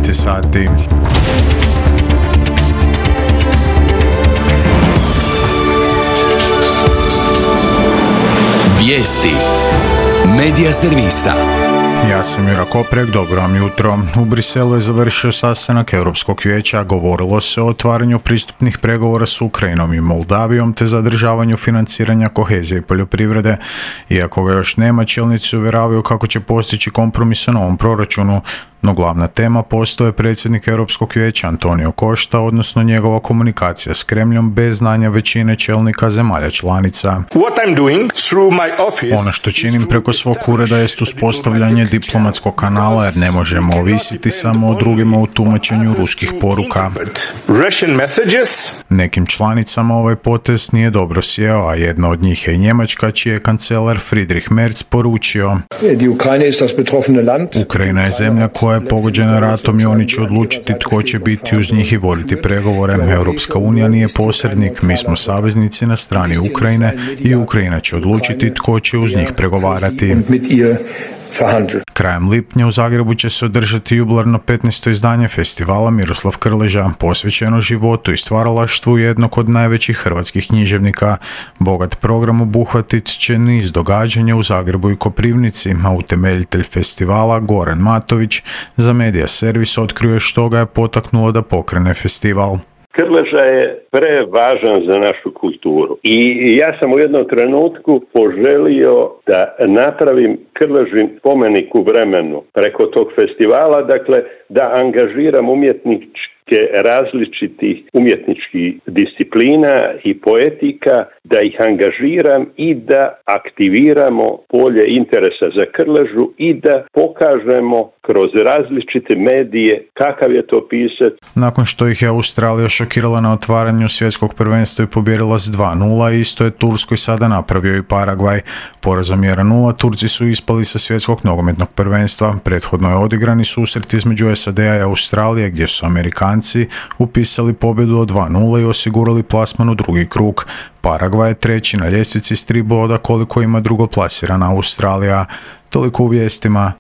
je sati. Vijesti Medija servisa. Ja sam Jura Koprek, dobro vam jutro. U Briselu je završio sastanak Europskog vijeća, govorilo se o otvaranju pristupnih pregovora s Ukrajinom i Moldavijom te zadržavanju financiranja kohezije i poljoprivrede. Iako ga još nema, čelnici uvjeravaju kako će postići kompromis o novom proračunu, no glavna tema postao je predsjednik Europskog vijeća Antonio Costa, odnosno njegova komunikacija s Kremljom bez znanja većine čelnika zemalja članica. Ono što činim preko svog ureda jest uspostavljanje diplomatskog kanala jer ne možemo ovisiti samo o drugima u tumačenju ruskih poruka. Nekim članicama ovaj potez nije dobro sjeo, a jedna od njih je i Njemačka, čiji je kancelar Friedrich Merz poručio: Ukrajina je zemlja koja je pogođena ratom i oni će odlučiti tko će biti uz njih i voditi pregovore. Europska unija nije posrednik, mi smo saveznici na strani Ukrajine i Ukrajina će odlučiti tko će uz njih pregovarati. Krajem lipnja u Zagrebu će se održati jubilarno 15. izdanje festivala Miroslav Krleža, posvećeno životu i stvaralaštvu jednog od najvećih hrvatskih književnika. Bogat program obuhvatit će niz događanja u Zagrebu i Koprivnici, a utemeljitelj festivala Goran Matović za Medija servis otkrio što ga je potaknulo da pokrene festival. Krleža je prevažan za našu kulturu i ja sam u jednom trenutku poželio da napravim Krležin spomenik u vremenu preko tog festivala, dakle da angažiram različitih umjetničkih disciplina i poetika, da ih angažiram i da aktiviramo polje interesa za Krležu i da pokažemo kroz različite medije kakav je to pisac. Nakon što ih je Australija šokirala na otvaranju svjetskog prvenstva i pobijedila s 2:0, isto je Turskoj sada napravio i Paragvaj. Porazom 1:0 Turci su ispali sa svjetskog nogometnog prvenstva. Prethodno je odigrani susret između SAD-a i Australije gdje su Amerikanci upisali pobjedu od 2:0 i osigurali plasman u drugi krug. Paragvaj je treći na ljestvici s 3 boda koliko ima drugoplasirana Australija. Toliko u vijestima,